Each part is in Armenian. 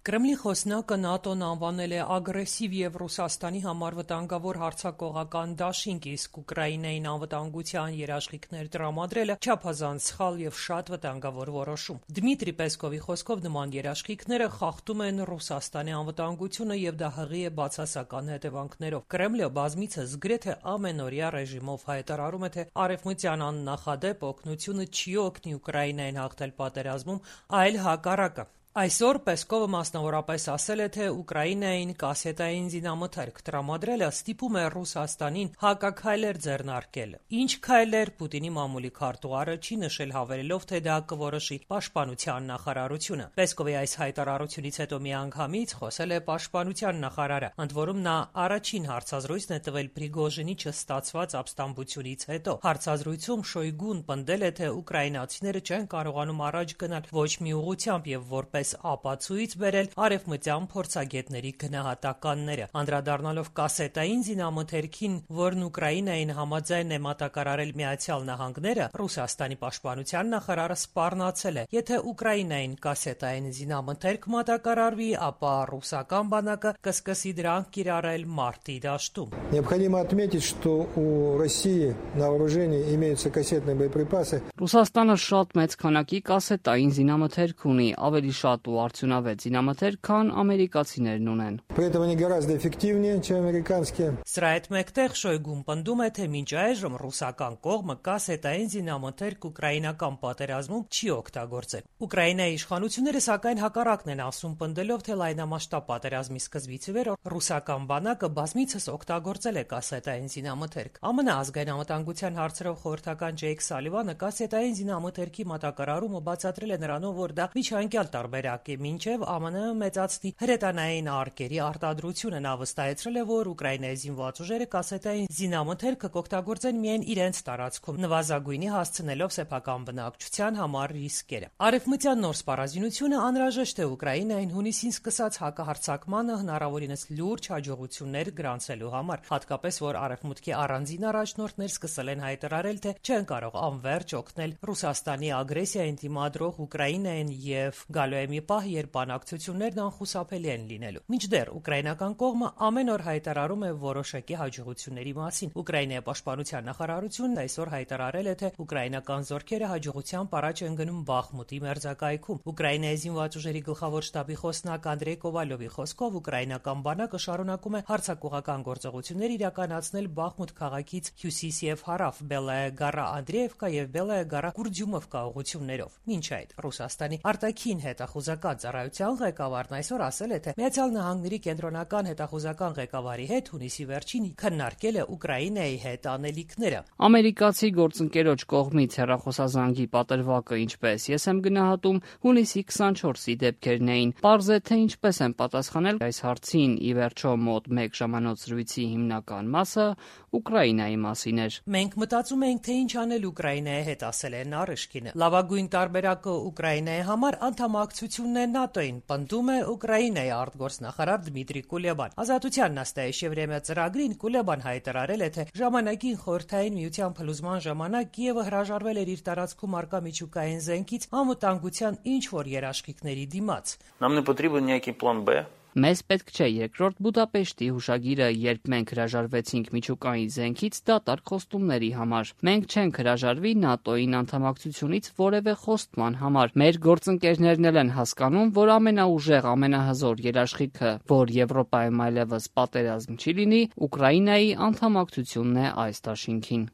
Կրեմլի խոսնակը ՆԱՏՕ-ն անվանել է ագրեսիվ եւ Ռուսաստանի համար վտանգավոր հարձակողական դաշինք, իսկ Ուկրաինային անվտանգության երաշխիքներ տրամադրելը չափազանց սխալ եւ շատ վտանգավոր որոշում։ Դմիտրի Պեսկովի խոսքով նման երաշխիքները խախտում են Ռուսաստանի անվտանգությունը եւ դա հղի է բացասական հետևանքներով։ Կրեմլը բազմիցս գրեթե ամենօրյա ռեժիմով հայտարարում է, թե արևմտյան աննախադեպ օգնությունը չի օգնի Ուկրաինային հաղթել պատերազմում, այլ հակառակը։ Այսօր Պեսկովը մասնավորապես ասել է, թե Ուկրաինային կասետային զինամթերք տրամադրելը ստիպում է Ռուսաստանին հակաքայլեր ձեռնարկել։ Ինչ քայլեր, Պուտինի մամուլի քարտուղարը չի նշել, հավելելով, թե դա կորոշի պաշտպանության նախարարությունը։ Պեսկովի այս հայտարարությունից հետո միանգամից խոսել է պաշտպանության նախարարը, ընդ որում նա առաջին հարցազրույցն է տվել Պրիգոժինի չստացված ապստամբությունից հետո։ Հարցազրույցում Շոյգուն պնդել է, թե ուկրաինացիները չեն կարողանում առաջ գնալ ոչ մի ուղղությամբ եւ որպես ապացույց բերել արևմտյան փորձագետների գնահատականները, անդրադառնալով կասետային զինամթերքին, որն Ուկրաինային համաձայն է մատակարարել Միացյալ Նահանգները, Ռուսաստանի պաշտպանության նախարարը սպառնացել է. եթե Ուկրաինային կասետային զինամթերք մատակարարվի, ապա ռուսական բանակը կսկսի դրանք կիրառել մարտի դաշտում։ Необходимо отметить, что у России на вооружении имеются кассетные боеприпасы. Ռուսաստանը շատ մեծ քանակի կասետային զինամթերք ունի, ավելի շատ ու արդյունավետ զինամթերք, քան ամերիկացիներն ունեն։ При этом они гораздо эффективнее, чем американские. Սրա հետ մեկտեղ Շոյգուն պնդում է, թե մինչ այժմ ռուսական կողմը կասետային զինամթերք ուկրաինական պատերազմում չի օգտագործել։ Ուկրաինայի իշխանությունները սակայն հակառակն են ասում, պնդելով, թե լայնամասշտաբ պատերազմի սկզբից ի վեր ռուսական բանակը բազմիցս օգտագործել է կասետային զինամթերք։ ԱՄՆ ազգային անվտանգության հարցերով խորհրդական Ջեյք Սալիվանը կասետային զինամթերքի մատակարարումը բացատրել է նրանով, որ դա միջանկյալ տարբերակ է, մինչև ԱՄՆ մեծացնի հրետանային արկերի արտադրությունը։ Նա վստահեցրել է, որ Ուկրաինայի զինված ուժերը կասետային զինամթերքը կօգտագործեն միայն իրենց տարածքում, նվազագույնի հասցնելով սեփական բնակչության համար ռիսկերը։ Արևմտյան նոր սպառազինությունը անհրաժեշտ է Ուկրաինային հունիսին սկսած հակահարձակմանը հնարավորինս լուրջ հաջողություններ գրանցելու համար, հատկապես որ արևմուտքի առանձին առաջնորդներ սկսել են հայտարարել, թե չեն կարող անվերջ օգնել Ռուսաստանի ագրեսիային դիմադրող Ուկրաինային եւ գալու է մի պահ, երբ բանակցություններն անխուսափելի են լինելու։ Մինչդեռ ուկրաինական կողմը ամեն օր հայտարարում է որոշակի հաջողությունների մասին։ Ուկրաինայի պաշտպանության նախարարությունն այսօր հայտարարել է, թե ուկրաինական զորքերը հաջողությամբ առաջ են գնում Բախմուտի մերձակայքում։ Ուկրաինայի զինված ուժերի գլխավոր շտաբի խոսնակ Անդրեյ Կովալյովի խոսքով ուկրաինական բանակը շարունակում է հարձակողական գործողություններ իրականացնել Բախմուտ քաղաքից հյուսիս եւ հարավ, Բելայա Գառա Անդրեևկա եւ Բելայա Գառա Կուրդյումովկա ուղղություններով։ Մինչ այդ Ռուսաստանի արտաքին հետախուզական ծառայության ղեկավարն այսօր ասել է, թե Միացյալ Նահանգների կենտրոնական հետախուզական ղեկավարի հետ հունիսի վերջին քննարկել է Ուկրաինայի հետ անելիքները։ Ամերիկացի գործընկերոջ կողմից հեռախոսազանգի պատրվակը, ինչպես ես եմ գնահատում, հունիսի 24-ի դեպքերն էին։ Պարզ է, թե ինչպես են պատասխանել այս հարցին, ի վերջո մոտ 1 ժամանոց զրույցի հիմնական մասը Ուկրաինայի մասին էր։ Մենք մտածում ենք, թե ինչ անել Ուկրաինայի հետ, ասել է Նարիշկինը։ Լավագույն տարբերակը Ուկրաինայի համար անդամակցությունն է ՆԱՏՕ-ին, պնդում է Ուկրաինայի արտգործնախարար Դմիտրի Կուլեբան։ Ազատության նաստայեշևրեմյա ծրագրին Կուլեբան հայտարարել է, թե ժամանակին Խորհրդային Միության փլուզման ժամանակ Կիևը հրաժարվել էր իր տարածքում արկա միջուկային զենքից անվտանգության ինչ-որ երաշխիքների դիմաց։ Нам не потрібен ніякий план Б. Մեզ պետք չէ երկրորդ Բուդապեշտի հուշագիրը, երբ մենք հրաժարվեցինք միջուկային զենքից դատարկ խոստումների համար։ Մենք չենք հրաժարվի ՆԱՏՕ-ին անդամակցությունից որևէ խոստման համար։ Մեր գործընկերներն էլ են հասկանում, որ ամենաուժեղ, ամենահզոր երաշխիքը, որ Եվրոպայում այլևս պատերազմ չի լինի, Ուկրաինայի անդամակցությունն է այս դաշինքին։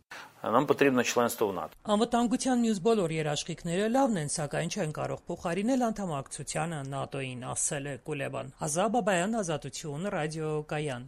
Нам потрібно членство в НАТО. Անվտանգության մյուս բոլոր երաշխիքները լավն են, սակայն չեն կարող փոխարինել անդամակցությանը ՆԱՏՕ-ին, ասել է Կուլեբան։ Ազատ Բաբայան, Ազատություն, ռադիո Կայան։